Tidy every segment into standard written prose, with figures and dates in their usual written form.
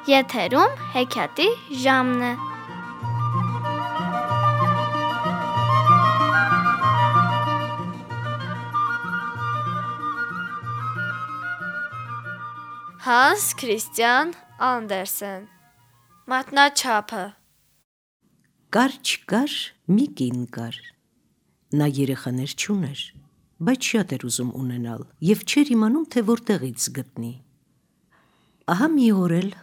Եթերում հեքիաթի ժամն է։ Հանս Քրիստիան Անդերսեն Մատնաչափը։ Կար չկար մի կին կար, նա երեխաներ չուներ, բայց շատ էր ուզում ունենալ և չէր իմանում, թե որտեղից գտնի։ Ահա մի օր էլ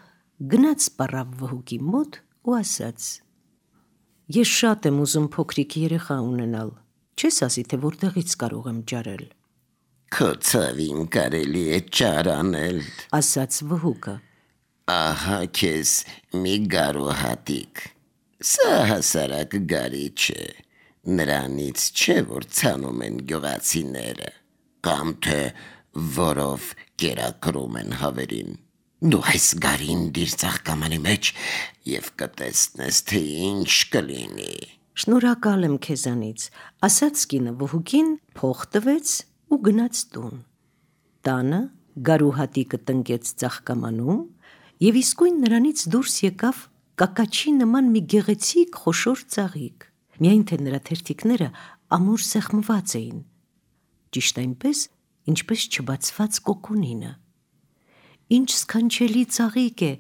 գնաց պառավ վհուկի մոտ ու ասաց. ես շատ եմ ուզում փոքրիկ երեխա ունենալ, չես ասի, թե որտեղից կարող եմ ճարել։ Քո ցավին կարելի է ճար անել, ասաց վհուկը։ Ահա քեզ մի գարուհատիկ, սա հասարակ գարի չէ, նրանից չէ, որ ցանում են գյուղացիները, կամ թե որով կերակրում են հավերին։ Դու այս գարին դիր ծաղկամանի մեջ և կտեսնես, թե ինչ կլինի։ Շնորհակալ եմ քեզանից, ասաց կինը վհուկին, փող տվեց ու գնաց տուն։ Տանը գարուհատիկը տնկեց ծաղկամանում և իսկույն նրանից դուրս եկավ կակաչի նման մի գեղեցիկ խոշոր ծաղիկ, միայն թե նրա թերթիկները ամուր սեղմված էին, ճիշտ այնպես, ինչպես չբացված կոկոնինը։ Ինչ սքանչելի ծաղիկ է,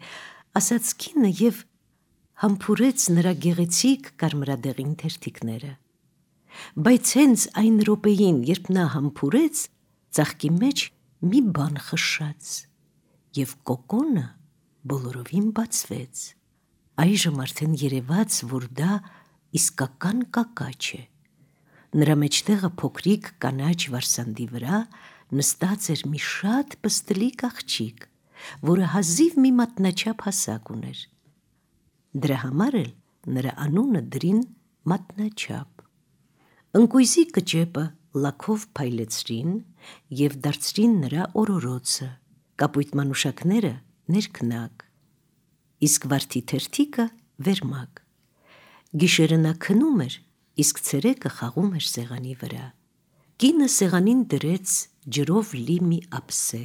ասաց կինը և համբուրեց նրա գեղեցիկ կարմրադեղին թերթիկները։ Բայց հենց այն րոպեին, երբ նա համբուրեց, ծաղկի մեջ մի բան խշշաց, և կոկոնը բոլորովին բացվեց։ Այժմ արդեն երևաց, որ դա իսկական կակաչ է։ Նրա մեջտեղը փոքրիկ կանաչ վարսանդի վրա նստած էր մի շատ պստլիկ աղջիկ, որը հազիվ մի մատնաչափ հասակ ուներ։ Դրա համար էլ նրա անունը դրին Մատնաչափ։ Ընկույզի կճեպը լաքով փայլեցրին և դարձրին նրա օրորոցը, կապույտ մանուշակները ներքնակ, իսկ վարդի թերթիկը վերմակ։ Գիշերը նա քնում էր, իսկ ցերեկը խաղում էր սեղանի վրա։ Կինը սեղանին դրեց ջրով լի մի ափսե,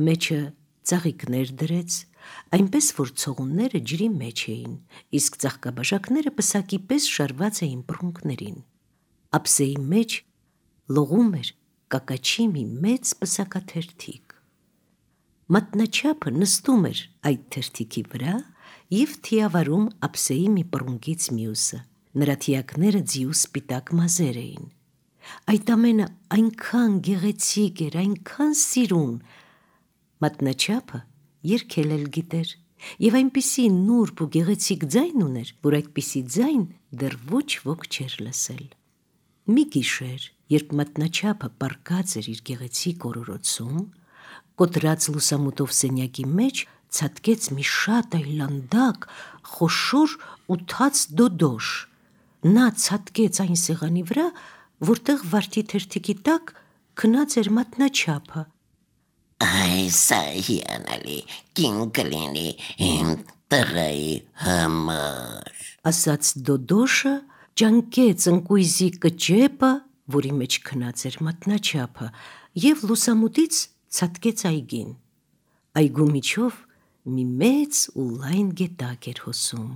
մեջը ծաղիկներ դրեց, այնպես որ ցողունները ջրի մեջ էին, իսկ ծաղկաբաժակները պսակի պես շարված էին բռունկներին։ Ափսեի մեջ լողում էր կակաչի մի մեծ պսակաթերթիկ։ Մատնաչափը նստում էր այդ թերթիկի վրա և թիավարում ափսեի մի բռունկից մյուսը, նրա թիակները ձիու սպիտակ մազեր էին։ Այդ ամենը այնքան գեղեցիկ էր, այնքան սիրուն։ Մատնաչափը երգել էլ գիտեր և այնպիսի նուրբ ու գեղեցիկ ձայն ուներ, որ այդպիսի ձայն դեռ ոչ ոք չէր լսել։ Մի գիշեր, երբ Մատնաչափը պառկած էր իր գեղեցիկ օրորոցում, կոտրած լուսամուտով սենյակի մեջ ցատկեց մի շատ այլանդակ, խոշոր ու թաց դոդոշ։ Նա ցատկեց այն սեղանի վրա, որտեղ վարդի թերթիկի տակ քնած էր Մատնաչափը։ Այս հիանալի կին կլինի իմ տղայի համար, ասաց դոդոշը, ճանկեց ընկույզի կճեպը, որի մեջ քնած էր Մատնաչափը, և լուսամուտից ցատկեց այգին։ Այգու միջով մի մեծ ու լայն գետակ էր հոսում,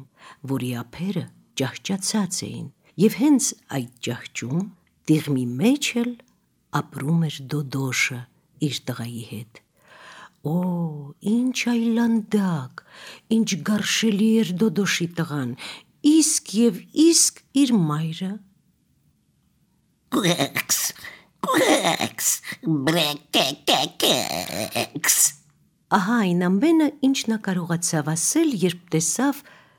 որի ափերը ճահճացած էին, և հենց այդ ճահճում տիղմի մեջ էլ ապրում էր դոդոշը իր տղայի հետ։ Օ, ինչ այլանդակ, ինչ գարշելի էր դոդոշի տղան, իսկ և իսկ իր մայրը։ Կուեքս, կուեքս, բրեկեկեկեկս։ Ահա այն ամենը, ինչ նա կարողացավ ասել, երբ տեսավ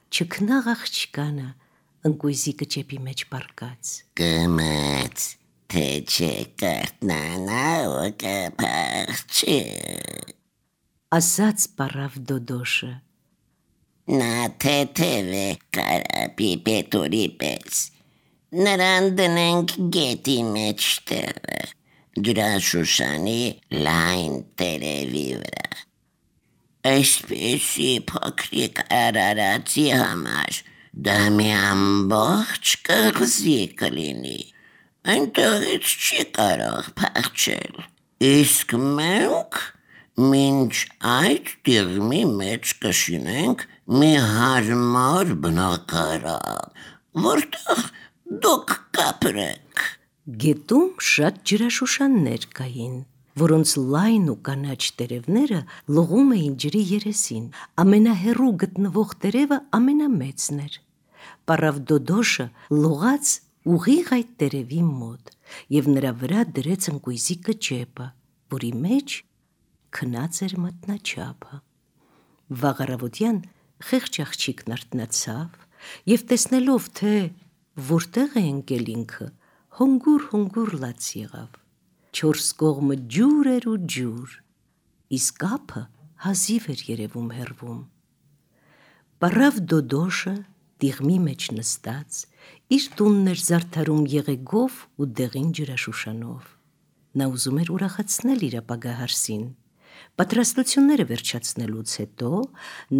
չքնաղ աղջկանը ընկույզի կճեպի մեջ պառկած։ Կմաց, թե չէ կարթնանա ու կփախչի, ասաց պառավ դոդոշը։ նա թեթև է կարապի պետուրի պես, նրան դնենք գետի մեջտեղը, ջրաշուշանի լայն տերևի վրա։ Այսպիսի փոքրիկ արարածի համար դա մի ամբողջ կղզի կլինի, այնտեղից չի կարող փախչել, իսկ մենք Մինչ այդ դիրմի մեջ կշինենք մի հարմար բնակարան, որտեղ դուք կապրեք։ Գետում շատ ջրաշուշաններ կային, որոնց լայն ու կանաչ տերևները լողում էին ջրի երեսին։ Ամենահեռու գտնվող տերևը ամենամեծն էր։ Պառավ Դոդոշը լողաց ուղիղ այդ տերևի մոտ և նրա վրա դրեց ընկույզի կճեպը, որի մեջ քնած էր մատնաչափը։ Վաղ առավոտյան խեղճ աղջիկն արթնացավ և տեսնելով, թե որտեղ է ընկել ինքը, հոնգուր լաց եղավ։ 4 կողմը ջուր էր ու ջուր, իսկ ափը հազիվ էր երևում հեռվում։ Պառավ Դոդոշը դիղմի մեջ նստած իր տունն էր զարդարում եղեգով ու դեղին ջրաշուշանով։ Նա ուզում էր ուրախացնել իր ապագա հարսին։ Պատրաստությունները վերջացնելուց հետո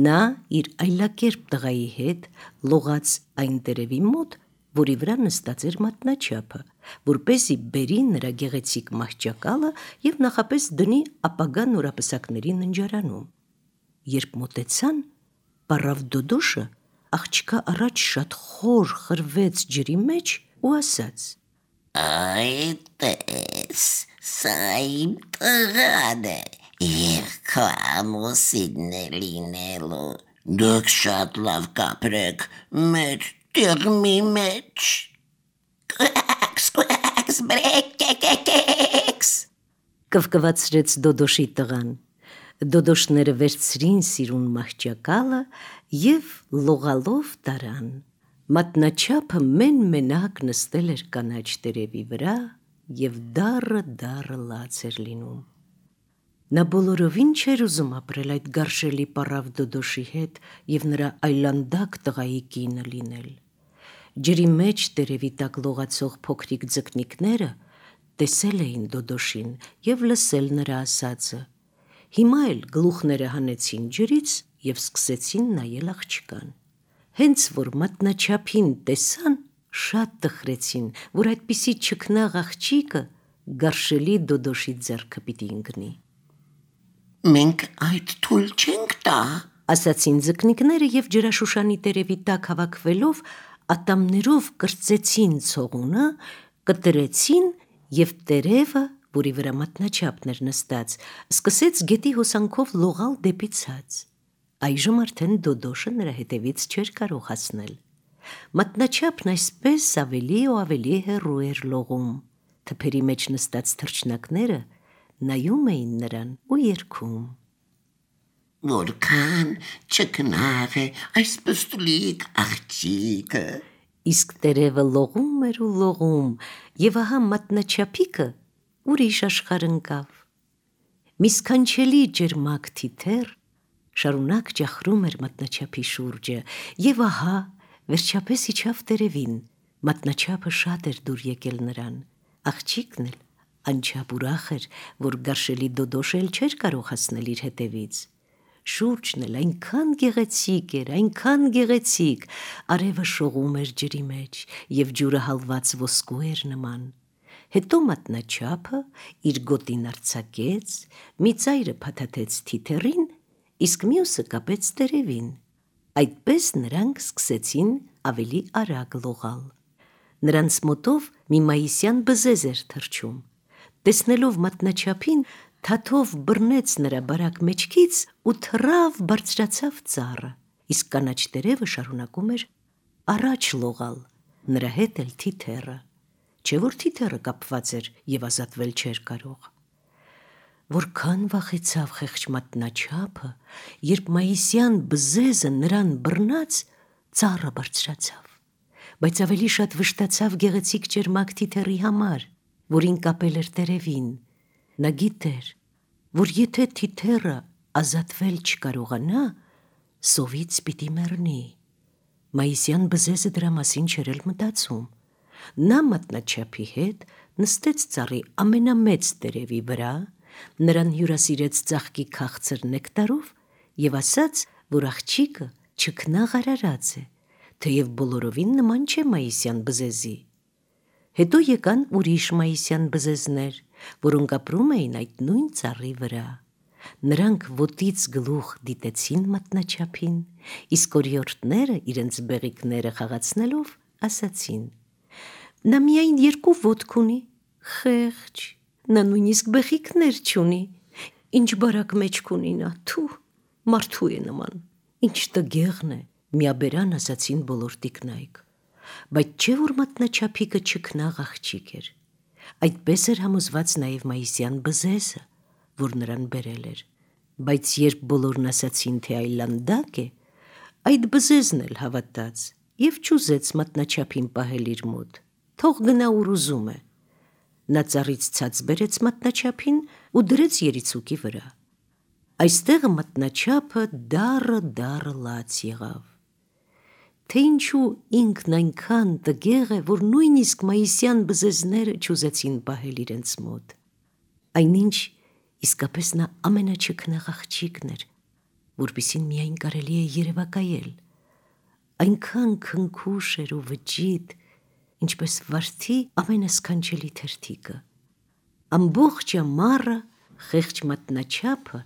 նա իր այլակերպ տղայի հետ լողաց այն տերևի մոտ, որի վրա նստած էր մատնաչափը, որպեսզի բերի նրա գեղեցիկ մահճակալը և նախապես դնի ապագա նորապսակների ննջարանում։ Երբ մոտեցան, պառավ Դոդոշը աղջկա առաջ շատ խոր խրվեց ջրի մեջ ու ասաց. Այդ տես, սա իմ տղան է, և քո ամուսինն է լինելու։ Դուք շատ լավ կապրեք մեր դիրմի մեջ։ Կվակս, բրեկեկեկեկս, կվկվացրեց Դոդոշի տղան։ Դոդոշները վերցրին սիրուն մահճակալը և լողալով տարան։ Մատնաչափը մեն-մենակ նստել էր կանաչ տերևի վրա և դառը լաց էր լինում։ Նա բոլորովին չէր ուզում ապրել այդ գարշելի պառավ Դոդոշի հետ և նրա այլանդակ տղայի կինը լինել։ Ջրի մեջ տերևի տակ լողացող փոքրիկ ձկնիկները տեսել էին Դոդոշին և լսել նրա ասածը։ Հիմա էլ գլուխները հանեցին ջրից և սկսեցին նայել աղջկան։ Հենց որ մատնաչափին տեսան, շատ տխրեցին, որ այդպիսի չքնաղ աղջիկը գարշելի Դոդոշի ձեռքը պիտի ընկնի։ Մենք այդ թույլ չենք տա, ասացին ձկնիկները և ջրաշուշանի տերևի տակ հավաքվելով ատամներով կրծեցին ցողունը, կտրեցին և տերևը, որի վրա մատնաչափն էր նստած, սկսեց գետի հոսանքով լողալ դեպի ցած։ Այժմ արդեն Դոդոշը նրա հետևից չէր կարող հասնել։ Մատնաչափն այսպես ավելի ու ավելի հեռու էր լողում։ Թփերի մեջ նստած թռչնակները նայում էին նրան ու երգում. Որքան չքնաղ է այս պստլիկ աղջիկը։ Իսկ տերևը լողում էր ու լողում, և ահա մատնաչափիկը ուրիշ աշխարհ ընկավ։ Մի սքանչելի ճերմակ թիթեռ շարունակ ճախրում էր մատնաչափի շուրջը, և ահա վերջապես իջավ տերևին։ Մատնաչափը շատ էր դուր եկել նրան։ Աղջիկն էլ անչափ ուրախ էր, որ գարշելի Դոդոշը էլ չէր կարող հասնել իր հետևից։ Շուրջն էլ այնքան գեղեցիկ, արևը շողում էր ջրի մեջ, և ջուրը հալված ոսկու էր նման։ Հետո մատնաչափը իր գոտին արձակեց, մի ծայրը փաթաթեց թիթեռին, իսկ մյուսը կապեց տերևին։ Այդպես նրանք սկսեցին ավելի արագ լողալ։ Նրանց մոտով մի մայիսյան բզեզ էր թռչում։ Տեսնելով մատնաչափին, թաթով բռնեց նրա բարակ մեջքից ու թռավ բարձրացավ ծառը, իսկ կանաչ տերևը շարունակում էր առաջ լողալ, նրա հետ էլ թիթեռը, չէ որ թիթեռը կապված էր և ազատվել չէր կարող։ Որքան վախեցավ խեղճ մատնաչափը, երբ մայիսյան բզեզը նրան բռնած, ծառը բարձրացավ, բայց ավելի շատ վշտացավ գեղեցիկ ճերմակ թիթեռի համար, որին կապել էր տերևին։ Նա գիտեր, որ եթե թիթեռը ազատվել չկարողանա, սովից պիտի մեռնի։ Մայիսյան բզեզը դրա մասին չէր էլ մտածում։ Նա մատնաչափի հետ նստեց ծառի ամենամեծ տերևի վրա, նրան հյուրասիրեց ծաղկի քաղցր նեկտարով և ասաց, որ աղջիկը չքնաղ արարած է, թեև բոլորովին նման չէ մայիսյան բզեզի։ Հետո եկան ուրիշ մայիսյան բզեզներ, որոնք ապրում էին այդ նույն ծառի վրա։ Նրանք ոտից գլուխ դիտեցին մատնաչափին, իսկ օրիորդները իրենց բեղիկները խաղացնելով ասացին. «Նա միայն 2 ոտք ունի, խեղճ, նա նույնիսկ բեղիկներ չունի, ինչ բարակ մեջք ունի նա, թու, մարդու է նման, ինչ տգեղն է», միաբերան ասացին բոլոր տիկնայք, բայց չէ որ մատնաչափիկը չքնաղ աղջիկ էր, այդպես էր համոզված նաև Մայիսյան բզեզը, որ նրան բերել էր, բայց երբ բոլորն ասացին, թե այլանդակ է, այդ բզեզն էլ հավատաց և չուզեց մատնաչափին պահել իր մոտ, թող գնա ուր ուզում է, նա ծառից ցած բերեց մատնաչափին ու դրեց երիցուկի վրա, այստեղ մատնաչափը դառը լաց եղավ, թե ինչու ինքն այնքան տգեղ է, որ նույնիսկ Մայիսյան բզեզները չուզեցին պահել իրենց մոտ, այնինչ իսկապես նա ամենաչքնաղ աղջիկն էր, որպիսին միայն կարելի է երևակայել, այնքան քնքուշ էր ու վճիտ, ինչպես վարդի ամենասքանչելի թերթիկը, ամբողջ ամառը խեղճ մատնաչափը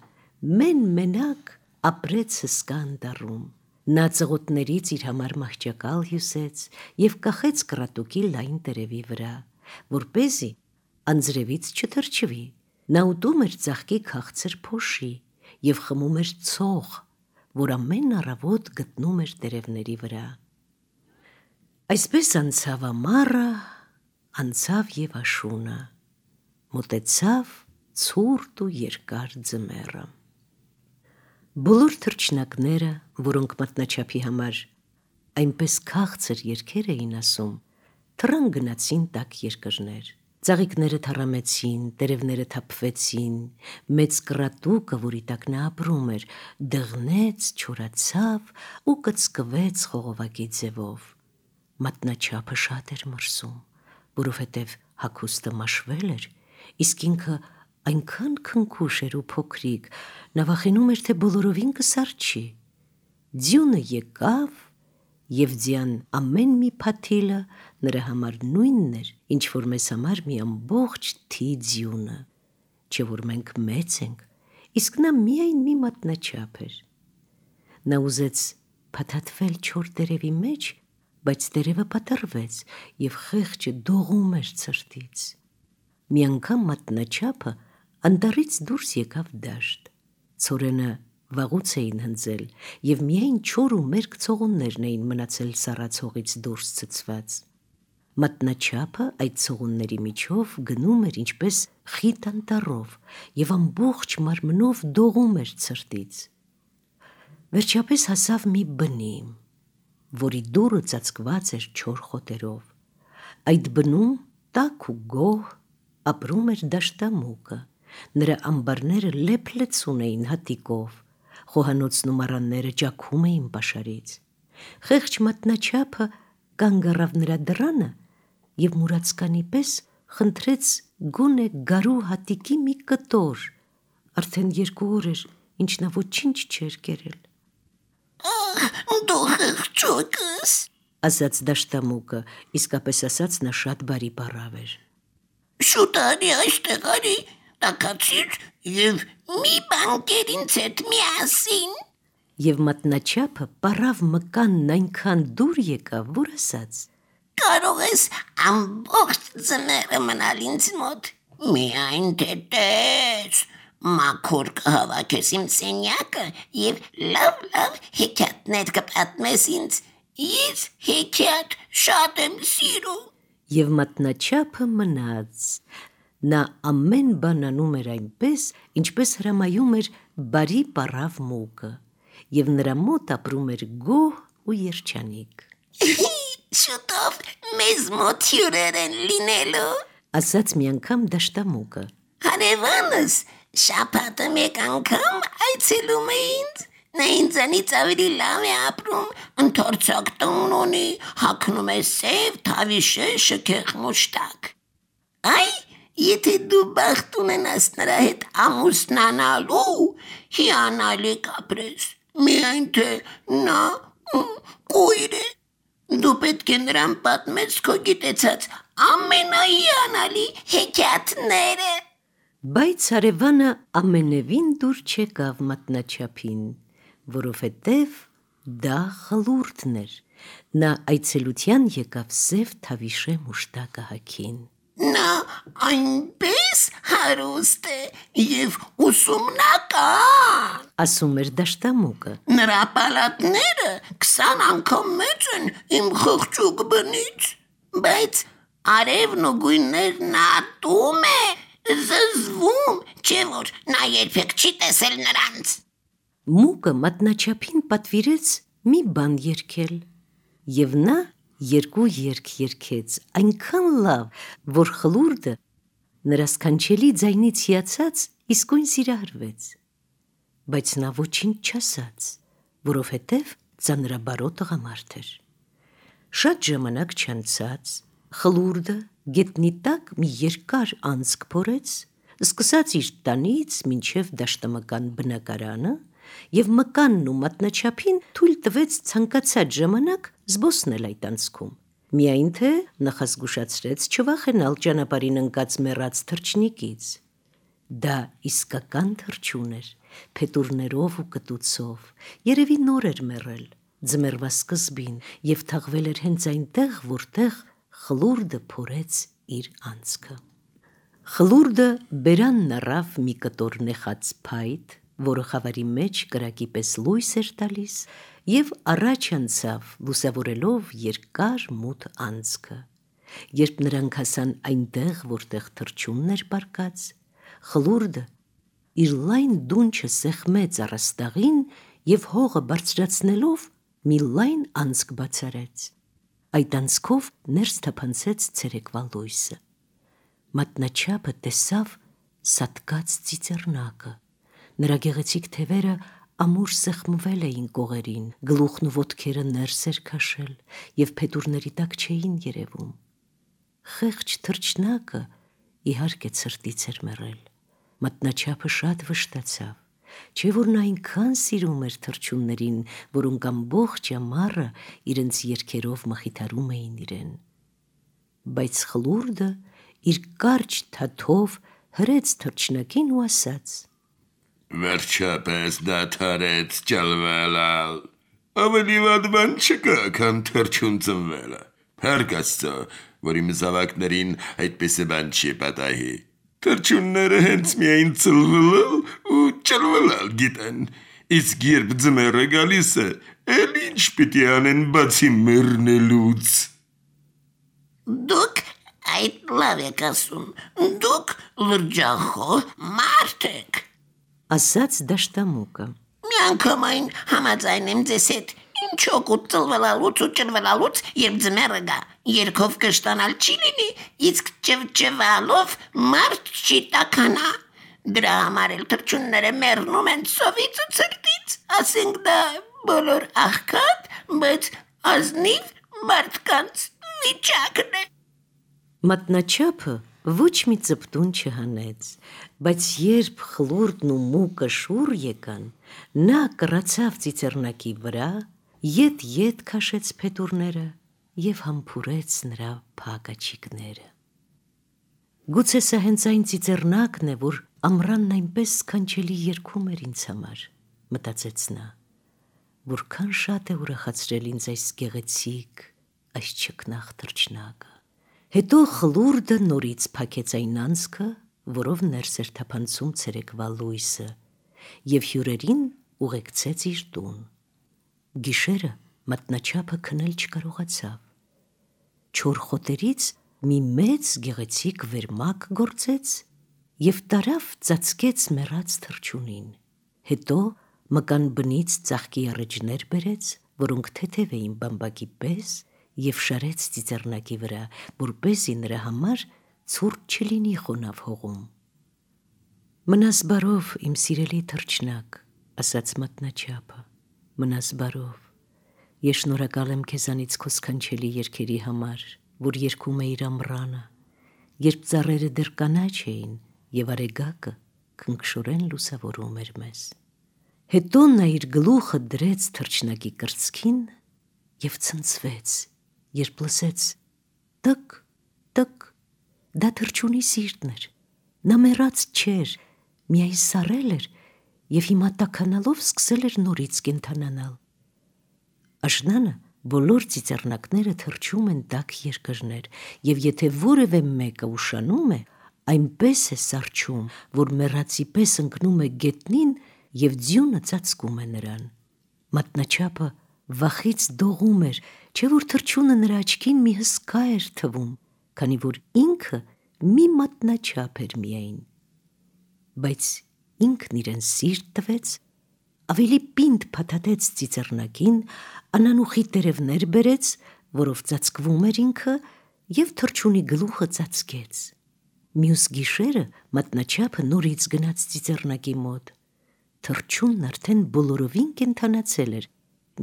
մենակ ապրեց հսկա անտառում, նա ծղոտներից իր համար մահճակալ հյուսեց և կախեց կռատուկի լայն տերևի վրա, որպեսզի անձրևից չթրջվի, նա ուտում էր ծաղկի քաղցր փոշի և խմում էր ցող, որ ամեն առավոտ գտնում էր տերևների վրա, այսպես անցավ ամառը, անցավ և աշունը, մոտեցավ ցուրտ ու երկար ձմեռը, բոլոր թռչնակները, որոնք մատնաչափի համար այնպես քաղցր երգեր էին ասում, թռան գնացին տաք երկրներ, ծաղիկները թառամեցին, տերևները թափվեցին, մեծ կռատուկը, որի տակ նա ապրում էր, դղնեց, չորացավ ու կծկվեց խողովակի ձևով, մատնաչափը շատ էր մրսում, որովհետև հագուստը մաշվել էր, իսկ ինքը այնքան քնքուշ էր ու փոքրիկ, նա վախենում էր, թե բոլորովին կսառչի, ձյունը եկավ և ձյան ամեն մի փաթիլը նրա համար նույնն էր, ինչ որ մեզ համար մի ամբողջ թի ձյունը, չէ որ մենք մեծ ենք, իսկ նա միայն մի մատնաչափ էր, նա ուզեց փաթաթվել չոր տերևի մեջ, բայց տերևը պատռվեց և խեղճը դողում էր ցրտից, մի անգամ մատնաչափը անտառից դուրս եկավ դաշտ, ցորենը վաղուց էին հնձել և միայն չոր ու մերկ ցողուններն էին մնացել սառացողից դուրս ցցված, մատնաչափը այդ ցողունների միջով գնում էր ինչպես խիտ անտառով և ամբողջ մարմնով դողում էր ցրտից, վերջապես հասավ մի բնի, որի դուռը ծածկված էր չոր խոտերով, այդ բնում տաք ու գոհ ապրում էր դաշտամուկը, նրա ամբարները լեփ-լեցուն էին հատիկով, խոհանոցն ու մառանները ճաքում էին պաշարից, խեղճ մատնաչափը կանգ առավ նրա դռանը և մուրացկանի պես խնդրեց գոնե գարու հատիկի մի կտոր, արդեն 2 օր էր, ինչ նա ոչինչ չէր կերել, Դու խղճուկս, ասաց դաշտամուկը, իսկապես ասած նա շատ բարի պառավ էր, շուտ արի այստեղ արի, տաքացիր և մի բան կեր ինձ հետ միասին, և մատնաչափը պառավ մկանն այնքան դուր եկավ, որ ասաց. կարող ես ամբողջ ձմեռը մնալ ինձ մոտ, միայն թե տես, մաքուր կհավաքես իմ սենյակը և լավ հեքիաթներ կպատմես ինձ, ես հեքիաթ շատ եմ սիրում, և մատնաչափը մնաց, նա ամեն բան անում էր այնպես, ինչպես հրամայում էր բարի պառավ մուկը, և նրա մոտ ապրում էր գոհ ու երջանիկ, շուտով մեզ մոտ հյուրեր են լինելու, ասաց մի անգամ դաշտամուկը, հարևանս շաբաթը մեկ անգամ այցելում է ինձ, նա ինձանից ավելի լավ է ապրում, ընդարձակ տուն ունի, հագնում է սև թավիշե շքեղ մուշտակ, այ եթե դու բախտ ունենաս նրա հետ ամուսնանալու, հիանալի կապրես, միայն թե նա կույր է, դու պետք է նրան պատմես քո գիտեցած ամենահիանալի հեքիաթները, Բայց հարևանը ամենևին դուր չեկավ մատնաչափին, որովհետև դա խլուրդն էր, նա այցելության եկավ Սև Թավիշե մուշտակահագին։ Նա այնպես հարուստ է և ուսումնական, ասում էր դաշտամուկը։ նրա պալատները 20 անգամ մեծ են իմ խղճուկ բնից, բայց արևն ու գույներն ատում է, զզվում, չէ որ նա երբեք չի տեսել նրանց։ Մուկը մատնաչափին պատվիրեց մի բան երգել, և նա 2 երգ երգեց այնքան լավ, որ խլուրդը նրա սքանչելի ձայնից հիացած իսկույն սիրահարվեց, բայց նա ոչինչ չասաց, որովհետև ծանրաբարո տղամարդ էր։ Շատ ժամանակ չանցած խլուրդը գետնի տակ մի երկար անցք փորեց, սկսած իր տանից մինչև դաշտամական բնակարանը, և մկանն ու մատնաչափին թույլ տվեց ցանկացած ժամանակ զբոսնել այդ անցքում, միայն թե նախազգուշացրեց չվախենալ ճանապարհին ընկած մեռած թռչնիկից։ Դա իսկական թռչուն էր, փետուրներով ու կտուցով, երևի նոր էր մեռել ձմեռվա սկզբին և թաղվել էր հենց այնտեղ, որտեղ խլուրդը փորեց իր անցքը։ Խլուրդը բերանն առավ մի կտոր նեխած փայտ, որը խավարի մեջ կրակի պես լույս էր տալիս, և առաջ անցավ լուսավորելով երկար մութ անցքը։ Երբ նրանք հասան այնտեղ, որտեղ թռչունն էր պառկած, խլուրդը իր լայն դունչը սեղմեց առաստաղին և հողը բարձրացնելով մի լայն անցք բացարեց։ Այդ անցքով ներս թափանցեց ցերեկվա լույսը։ Մատնաչափը տեսավ սատկած ծիծեռնակը, նրա գեղեցիկ թևերը ամուր սեղմվել էին կողերին, գլուխն ու ոտքերը ներս էր քաշել և փետուրների տակ չէին երևում։ Խեղճ թռչնակը իհարկե ցրտից էր մեռել։ Մատնաչափը շատ վշտացավ, չէ որ նա այնքան սիրում էր թռչուններին, որոնք ամբողջ ամառը իրենց երգերով մխիթարում էին իրեն։ Բայց խլուրդը իր կարճ թաթով հրեց թռչնակին ու ասաց. Վերջապես դադարեց ճալվելալ, ավելի վատ բան չկա, քան թռչուն ծնվելը, փառք Աստծո, որ իմ զավակներին այդպես բան չի պատահի։ Թռչունները հենց միայն ծլվելալ ու ճալվելալ գիտեն, իսկ երբ ձմեռը գալիս է, էլ ինչ պիտի անեն բացի մեռնելուց։ Դուք այդ լավ եք ասում, դուք լրջախոհ մարդ եք, ասաց դաշտամուկը։ միանգամայն համաձայն եմ ձեզ հետ, ինչ օգուտ ծլվելալուց ու ճլվելալուց, երբ ձմեռը գա, երգով կշտանալ չի լինի, իսկ ճվճվալով մարդ չի տաքանա։ Դրա համար էլ թռչունները մեռնում են սովից ու ցրտից, ասենք դա բոլոր աղքատ, բայց ազնիվ մարդկանց վիճակն է։ Մատնաչափը ոչ մի ծպտուն չհանեց, բայց երբ խլուրդն ու մուկը շուռ եկան, նա կռացավ ծիծեռնակի վրա, ետ քաշեց փետուրները և համբուրեց նրա փակաչիկները։ Գուցե սա հենց այն ծիծեռնակն է, որ ամռանն այնպես սքանչելի երգում էր ինձ համար, մտածեց նա, որքան շատ է ուրախացրել ինձ այս գեղեցիկ, այս չքնաղ թռչնակը։ Հետո խլուրդը նորից փակեց այն անցքը, որով ներս էր թափանցում ցերեկվա լույսը, և հյուրերին ուղեկցեց իր տուն։ Գիշերը մատնաչափը քնել չկարողացավ։ Չոր խոտերից մի մեծ գեղեցիկ վերմակ գործեց և տարավ ծածկեց մեռած թռչունին։ Հետո մկան բնից ծաղկի առէջներ բերեց, որոնք թեթև էին բամբակի պես, և շարեց ծիծեռնակի վրա, որպեսզի նրա համար ցուրտ չլինի խոնավ հողում։ Մնաս բարով, իմ սիրելի թռչնակ, ասաց մատնաչափը, մնաս բարով։ Ես շնորհակալ եմ քեզանից քո սքանչելի երգերի համար, որ երգում էիր ամռանը, երբ ծառերը դեռ կանաչ էին և արեգակը քնքշորեն լուսավորում էր մեզ։ Հետո նա իր գլուխը դրեց թռչնակի կրծքին և ցնցվեց, երբ լսեց տկ, տկ, դա թռչունի սիրտն էր, Նա մեռած չէր, միայն սառել էր և հիմա տաքանալով սկսել էր նորից կենդանանալ։ Աշնանը բոլոր ծիծեռնակները թռչում են տաք երկրներ, և եթե որևէ մեկը ուշանում է, այնպես է սառչում, որ մեռածի պես ընկնում է գետնին և ձյունը ծածկում է նրան։ Մատնաչափը վախից դողում էր, չէ որ թռչունը նրա աչքին մի հսկա էր թվում, քանի որ ինքը մի մատնաչափ էր միայն։ Բայց ինքն իրեն սիրտ տվեց, ավելի պինդ փաթաթեց ծիծեռնակին, անանուխի տերևներ բերեց, որով ծածկվում էր ինքը, և թռչունի գլուխը ծածկեց։ Մյուս գիշերը մատնաչափը նորից գնաց ծիծեռնակի մոտ։ Թռչունն արդեն բոլորովին կենդանացել էր,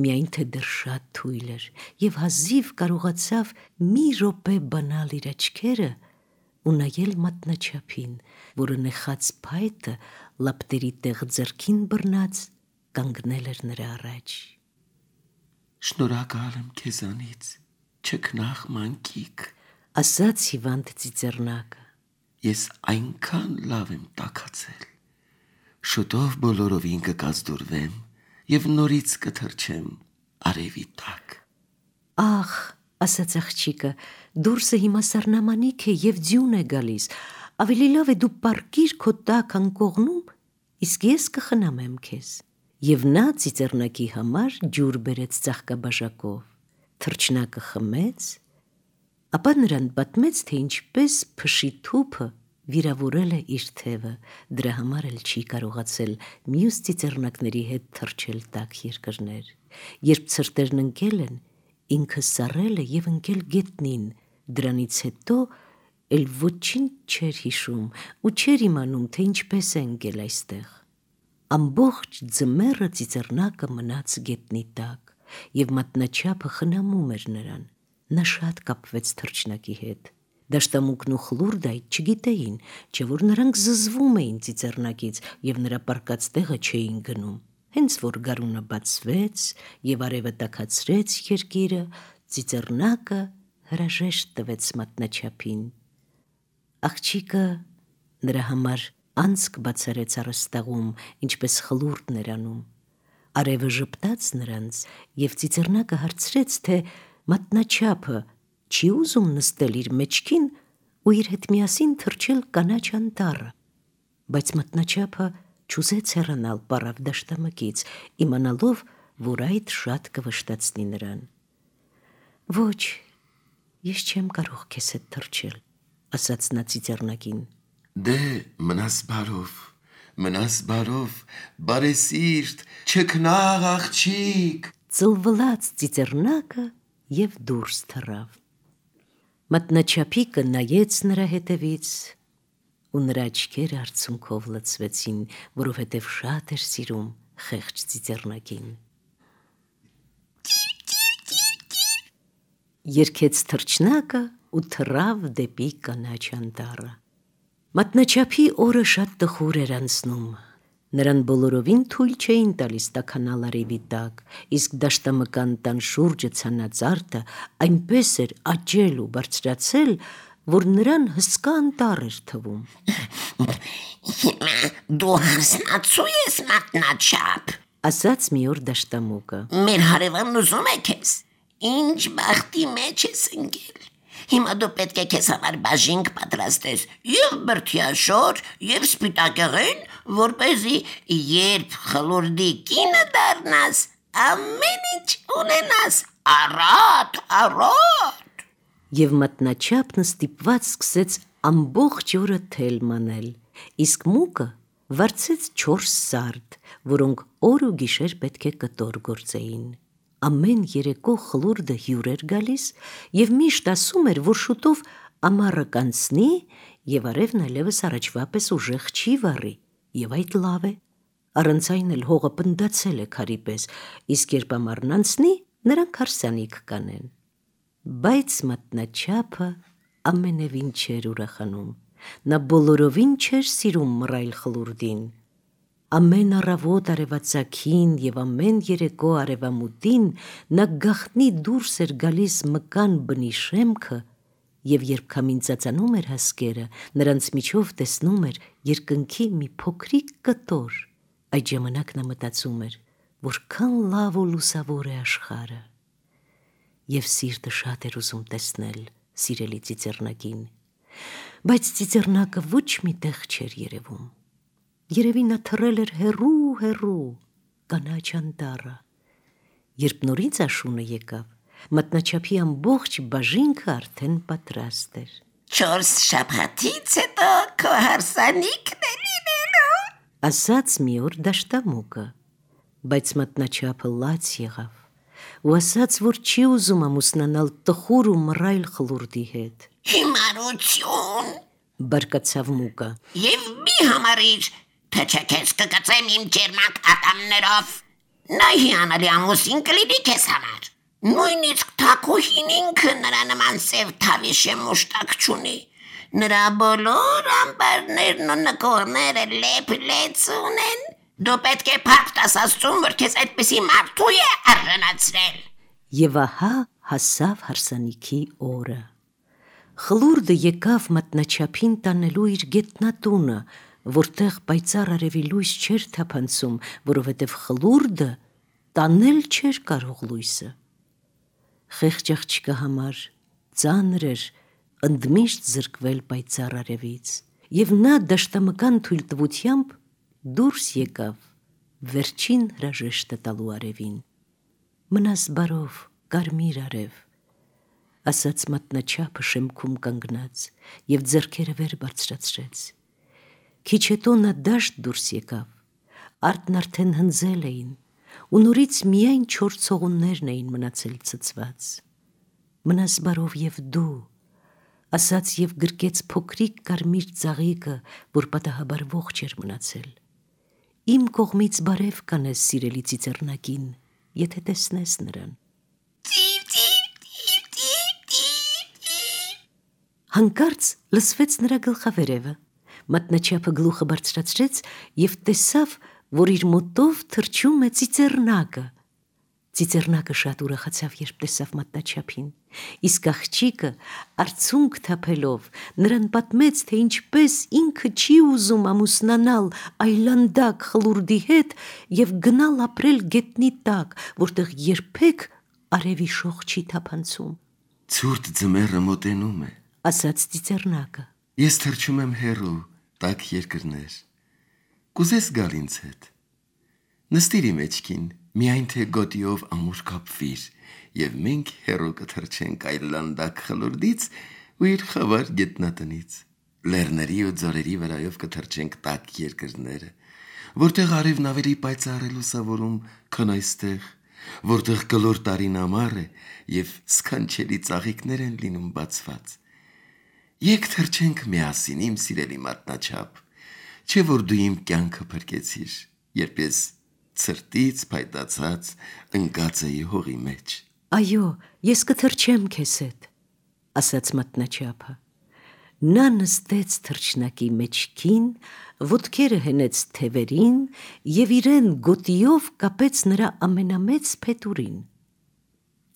միայն թե դեռ շատ թույլ էր, և հազիվ կարողացավ մի րոպե բանալ իր աչքերը ու նայել մատնաչափին, որը նեխած փայտը լապտերի տեղ ձեռքին բռնած կանգնել էր նրա առաջ։ Շնորհակալ եմ քեզանից, չքնաղ մանկիկ, ասաց հիվանդ ծիծեռնակը։ Ես այնքան լավ եմ տաքացել։ Շուտով բոլորովին կկազդուրվեմ և նորից կթռչեմ արևի տակ։ Ախ, ասաց աղջիկը, դուրսը հիմա սառնամանիք է և ձյուն է գալիս, ավելի լավ է դու պառկիր քո տաք անկողնում, իսկ ես կխնամեմ քեզ։ Եվ նա ծիծեռնակի համար ջուր բերեց ծաղկաբաժակով, թռչնակը խմեց, ապա նրան պատմեց, թե ինչպես փշի թուփը վիրավորել է իր թևը, դրա համար էլ չի կարողացել մյուս ծիծեռնակների հետ թռչել տաք երկրներ։ Երբ ցրտերն ընկել են, ինքը սառել է և ընկել գետնին, դրանից հետո էլ ոչինչ չէր հիշում ու չէր իմանում, թե ինչպես է ընկել այստեղ։ Ամբողջ ձմեռը ծիծեռնակը մնաց գետնի տակ, և մատնաչափը խնամում էր նրան։ Նա շատ կապվեց թռչնակի հետ։ Դաշտամուկն ու խլուրդը այդ չգիտեին, չէ որ նրանք զզվում էին ծիծեռնակից և նրա պառկած տեղը չէին գնում։ Հենց որ գարունը բացվեց և արևը տաքացրեց երկիրը, ծիծեռնակը հրաժեշտ տվեց մատնաչափին։ Աղջիկը նրա համար անցք բացարեց առաստաղում, ինչպես խլուրդն էր անում։ Արևը ժպտաց նրանց, և ծիծեռնակը հարցրեց, թե մատնաչափը չի ուզում նստել իր մեջքին ու իր հետ միասին թռչել կանաչ անտառը։ Բայց մատնաչափը չուզեց հեռանալ պառավ դաշտամկից, իմանալով, որ այդ շատ կվշտացնի նրան։ Ոչ, ես չեմ կարող քեզ հետ թռչել, ասաց նա ծիծեռնակին։ Դե մնաս բարով, բարեսիրտ, չքնաղ աղջիկ, ծլվլաց ծիծեռնակը և դուրս թռավ։ Մատնաչափիկը նայեց նրա հետևից ու նրա աչքերը արցունքով լցվեցին, որովհետև շատ էր սիրում խեղճ ծիծեռնակին։ Երգեց թռչնակը ու թռավ դեպի կանաչ անտառը։ Մատնաչափի օրը շատ տխուր էր անցնում։ Նրան բոլորովին թույլ չէին տալիս տաքանալ արևի տակ, իսկ դաշտամկան տան շուրջը ցանած արդը այնպես էր աճել ու բարձրացել, որ նրան հսկա անտառ էր թվում։ Հիմա դու հասնացու ես մատնաչափ, ասաց մի օր դաշտամուկը։ մեր հարևանն ուզում է քեզ, ինչ բախտի մեջ ես ընկել։ Հիմա դու պետք է քեզ համար բաժինք պատրաստես և բրդյաշոր և սպիտակեղեն, որպեսզի երբ խլուրդի կինը դառնաս, ամեն ինչ ունենաս, առատ։ Եվ մատնաչափն ստիպված սկսեց ամբողջ օրը թել մանել, իսկ մուկը վարձեց 4 սարդ, որոնք օր ու գիշեր պետք է կտոր գործեին։ Ամեն երեկո խլուրդը հյուր էր գալիս և միշտ ասում էր, որ շուտով ամառը կանցնի և արևն այլևս առաջվա պես ուժեղ չի վառի, և այդ լավ է։ Առանց այն էլ հողը պնդացել է քարի պես, իսկ երբ ամառն անցնի, նրանք հարսանիք կանեն։ Բայց մատնաչափը ամենևին չէր ուրախանում։ Նա բոլորովին չէր սիրում մռայլ խլուրդին։ Ամեն առավոտ արևածագին և ամեն երեկո արևամուտին նա գաղտնի դուրս էր գալիս մկան բնի շեմքը Եվ երբ քամին ծածանում էր հասկերը, նրանց միջով տեսնում էր երկնքի մի փոքրիկ կտոր։ Այդ ժամանակ նա մտածում էր, որքան լավ ու լուսավոր է աշխարհը։ Եվ սիրտը շատ էր ուզում տեսնել սիրելի ծիծեռնակին, բայց ծիծեռնակը ոչ մի տեղ չէր երևում։ Երևի նա թռել էր հեռու կանաչ անտառը։ Երբ նորից աշունը եկավ, մատնաչափի ամբողջ բաժինքը արդեն պատրաստ էր։ 4 շաբաթից հետո քո հարսանիքն է լինելու, ասաց մի օր դաշտամուկը, բայց մատնաչափը լաց եղավ ու ասաց, որ չի ուզում ամուսնանալ տխուր ու մռայլ խլուրդի հետ։ Հիմարություն, Բարկացավ մուկը։ եւ մի համարիր, թե չէ քեզ կգծեմ իմ ջերմակ ատամներով։ Նա հիանալի ամուսին կլինի քեզ համար։ Նույնիսկ թակուհին ինքը նրա նման սև թավիշե մուշտակ չունի։ Նրա բոլոր ամբարներն ու նկորները լեփ-լեց ունեն։ Դու պետք է փառք տաս Աստծուն, որ քեզ այդպիսի մարդու է արժանացրել։ Եվ ահա հասավ հարսանիքի օրը։ Խլուրդը եկավ մատնաչափին տանելու իր գետնատունը, որտեղ պայծառ արևի լույս չէր թափանցում, որովհետև խլուրդը տանել չէր կարող լույսը։ Խեղճ աղջկա համար ծանր էր ընդմիշտ զրկվել պայծառ արևից, եւ նա դաշտամկան թույլտվությամբ դուրս եկավ վերջին հրաժեշտը տալու արևին։ Մնաս բարով, կարմիր արև, ասաց մատնաչափը շեմքում կանգնած եւ ձեռքերը վեր բարձրացրեց։ Քիչ հետո նա դաշտ դուրս եկավ, արտն արդեն հնձել էին ու նորից միայն 4 ցողուններն էին մնացել ցցված։ Մնաս բարով եւ դու, ասաց եւ գրկեց փոքրիկ կարմիր ծաղիկը, որ պատահաբար ողջ էր մնացել։ Իմ կողմից բարև կանես սիրելի ծիծեռնակին, եթե տեսնես նրան։ Հանկարծ լսվեց նրա գլխավերևը։ Մատնաչափը գլուխը բարձրացրեց եւ տեսավ, որ իր մոտով թռչում է ծիծեռնակը։ Ծիծեռնակը շատ ուրախացավ, երբ տեսավ մատնաչափին, իսկ աղջիկը արցունք թափելով նրան պատմեց, թե ինչպես ինքը չի ուզում ամուսնանալ այլանդակ խլուրդի հետ եւ գնալ ապրել գետնի տակ, որտեղ երբեք արևի շող չի թափանցում։ Ցուրտ ձմեռը մոտենում է, ասաց ծիծեռնակը։ Ես թռչում եմ հեռու, տաք երկրներ։ Կուզես գալ ինձ հետ։ Նստիր իմ մեջքին, միայն թե գոտիով ամուր կապվիր, եւ մենք հեռու կթռչենք այլանդակ խլուրդից ու իր խավար գետնատնից։ Լեռների ու ձորերի վրայով կթռչենք տաք երկրները, որտեղ արևն ավելի պայծառ է լուսավորում, քան այստեղ, որտեղ կլոր տարին ամառ է եւ սքանչելի ծաղիկներ են լինում բացված։ Եկ թռչենք միասին, իմ սիրելի մատնաչափ, չէ որ դու իմ կյանքը փրկեցիր, երբ ես ցրտից փայտացած ընկած էի հողի մեջ։ Այո, ես կթռչեմ քեզ հետ, ասաց մատնաչափը։ Նա նստեց թռչնակի մեջքին, ոտքերը հենեց թևերին եւ իրեն գոտիով կապեց նրա ամենամեծ փետուրին։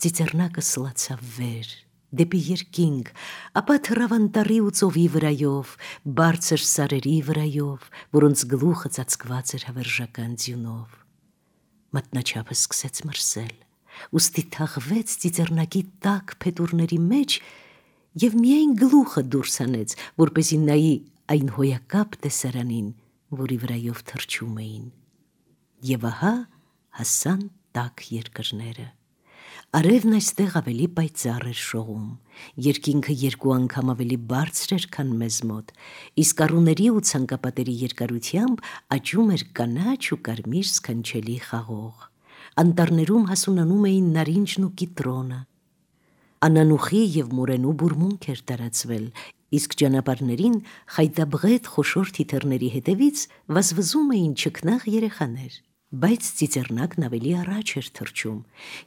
Ծիծեռնակը սլացավ վեր, դեպի երկինք, ապա թռավ անտառի ու ծովի վրայով, բարձր սարերի վրայով, որոնց գլուխը ծածկված էր հավերժական ձյունով։ Մատնաչափը սկսեց մրսել, ուստի թաղվեց ծիծեռնակի տաք փետուրների մեջ եւ միայն գլուխը դուրս հանեց, որպեսզի նայի այն հոյակապ տեսարանին, որի վրայով թռչում էին։ Եվ ահա հասան տաք երկրները։ Արևն այստեղ ավելի պայծառ էր շողում, երկինքը 2 անգամ ավելի բարձր էր, քան մեզ մոտ, իսկ առուների ու ցանկապատերի երկարությամբ աճում էր կանաչ ու կարմիր սքանչելի խաղող։ Անտառներում հասունանում էին նարինջն ու կիտրոնը։ Անանուխի եւ մորենու բուրմունք էր տարածվել, իսկ ճանապարհներին խայտաբղետ խոշոր թիթեռների հետևից վազվզում էին չքնաղ երեխաներ։ Բայց ծիծեռնակն ավելի առաջ էր թռչում,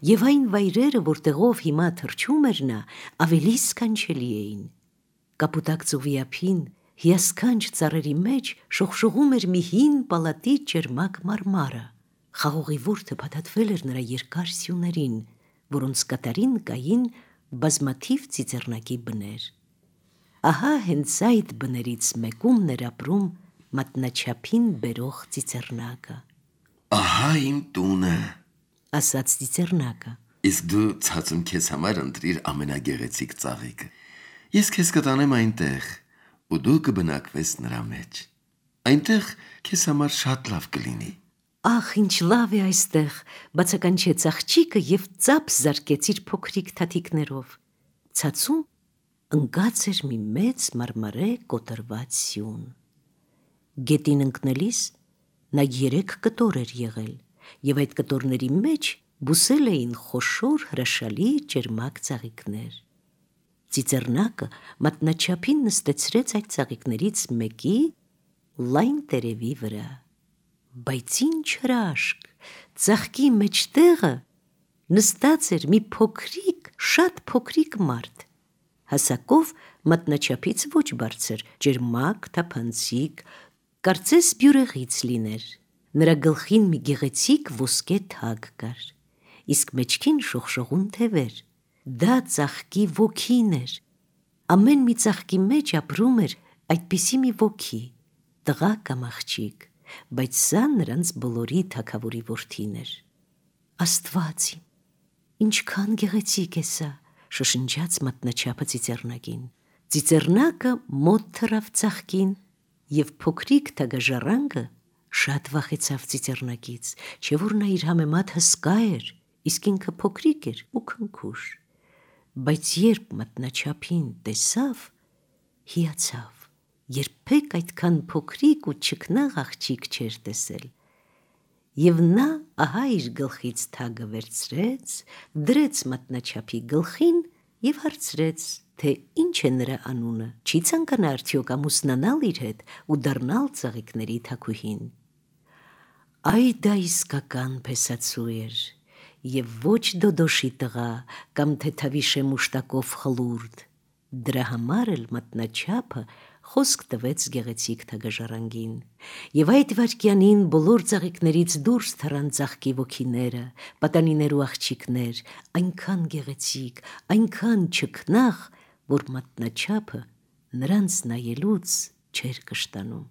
եւ այն վայրերը, որտեղով հիմա թռչում էր նա, ավելի սքանչելի էին։ Կապուտակ ծովի ափին, հիասքանչ ծառերի մեջ շողշողում էր մի հին պալատի ճերմակ մարմարը։ Խաղողի ворթը փաթաթվել էր նրա երկար սյուներին, որոնց կատարին կային բազմաթիվ ծիծեռնակի բներ։ Ահա հենց այդ բներից մեկում ներապրում մատնաչափին բերող ծիծեռնակը։ Ահա իմ տունը։ Ասաց ծիծեռնակը։ Իսկ դու ցածում քեզ համար ընտրիր ամենագեղեցիկ ծաղիկը։ Ես քեզ կտանեմ այնտեղ, ու դու կբնակվես նրա մեջ։ Այնտեղ քեզ համար շատ լավ կլինի։ Ախ, ինչ լավ է այստեղ, բացականչեց աղջիկը և ծափ զարկեց իր փոքրիկ թաթիկներով։ Ցածում ընկած էր մի մեծ մարմարե կոտրված սյուն։ Գետին ընկնելիս նա 3 կտոր էր եղել, և այդ կտորների մեջ բուսել էին խոշոր հրաշալի ճերմակ ծաղիկներ։ Ծիծեռնակը մատնաչափին նստեցրեց այդ ծաղիկներից մեկի լայն տերևի վրա։ Բայց ինչ հրաշք, ծաղկի մեջտեղը նստած էր մի փոքրիկ, շատ փոքրիկ մարդ, հասակով մատնաչափից ոչ բարձր, ճերմակ, թափանցիկ, կարծես բյուրեղից լիներ։ Նրա գլխին մի գեղեցիկ ոսկե թագ կար, իսկ մեջքին շողշողուն թևեր։ Դա ծաղկի ոգին էր։ Ամեն մի ծաղկի մեջ ապրում էր այդպիսի մի ոգի, տղա կամ աղջիկ, բայց սա նրանց բոլորի թագավորի որդին էր։ Աստված իմ, ինչքան գեղեցիկ է սա, շշնջաց մատնաչափը ծիծեռնակին։ Ծիծեռնակը մոտ թռավ ծաղկին, և փոքրիկ թագաժառանգը շատ վախեցավ ծիծեռնակից, չէ որ նա իր համեմատ հսկա էր, իսկ ինքը փոքրիկ էր ու քնքուշ։ Բայց երբ մատնաչափին տեսավ, հիացավ, երբեք այդքան փոքրիկ ու չքնաղ աղջիկ չէր տեսել։ Եվ նա ահա իր գլխից թագը վերցրեց, դրեց մատնաչափի գլխին և հարցրեց, թե ինչ է նրա անունը, չի ցանկանա արդյոք ամուսնանալ իր հետ ու դառնալ ծաղիկների թագուհին։ Այ դա իսկական փեսացու էր, և ոչ դոդոշի տղա կամ թեթավի շեմուշտակով խլուրդ։ Դրա համար էլ մատնաչափը խոսք տվեց գեղեցիկ թագաժառանգին, և այդ վայրկյանին բոլոր ծաղիկներից դուրս թռան ծաղկի ոգիները, պատանիներ ու աղջիկներ, այնքան գեղեցիկ, այնքան չքնաղ, որ մատնաչափը նրանց նայելուց չէր կշտանում։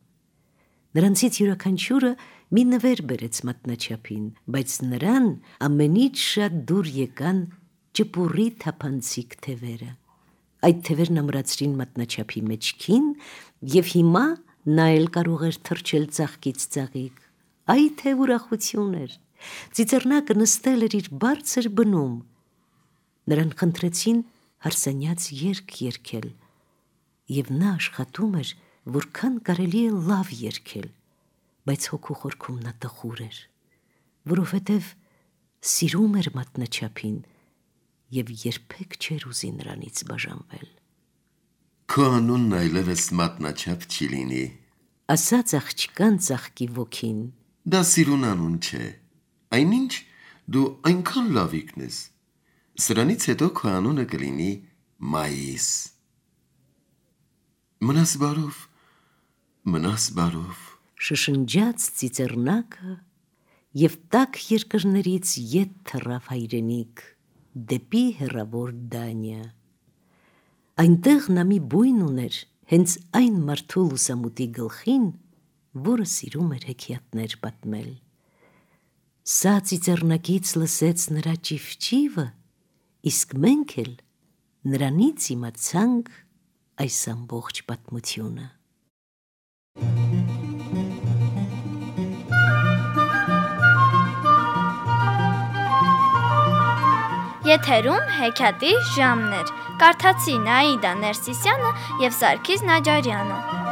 Նրանցից յուրաքանչյուրը մի նվեր բերեց մատնաչափին, բայց նրան ամենից շատ դուր եկան ճպուռի թափանցիկ թևերը։ Այդ թևերն ամրացրին մատնաչափի մեջքին, և հիմա նա էլ կարող էր թռչել ծաղկից ծաղիկ։ Այ թե ուրախություն էր։ Ծիծեռնակը նստել էր իր բարձր բնում։ Նրան խնդրեցին հարսանյաց երգ երգել, և նա աշխատում էր, որքան կարելի է լավ երգել, բայց հոգու խորքում նա տխուր էր, որովհետև սիրում էր մատնաչափին և երբեք չէր ուզի նրանից բաժանվել։ Քո անունն այլևս մատնաչափ չի լինի, ասաց աղջկան ծաղկի ոգին։ դա սիրուն անուն չէ, այնինչ դու այնքան լավիկն ես, սրանից հետո քո անունը կլինի Մայիս։ Մնաս բարով, մնաս բարով, շշնջաց ծիծեռնակը և տաք երկրներից ետ թռավ հայրենիք, դեպի հեռավոր Դանիա։ Այնտեղ նա մի բույն ուներ, հենց այն մարդու լուսամուտի գլխին, որը սիրում էր հեքիաթներ պատմել։ Սա ծիծեռնակից լսեց նրա ճիվճիվը, իսկ մենք էլ նրանից իմացանք այս ամբողջ պատմությունը։ Եթերում հեքիաթի ժամն էր։ Կարդացին Աիդա Ներսիսյանը և Սարգիս Նաջարյանը։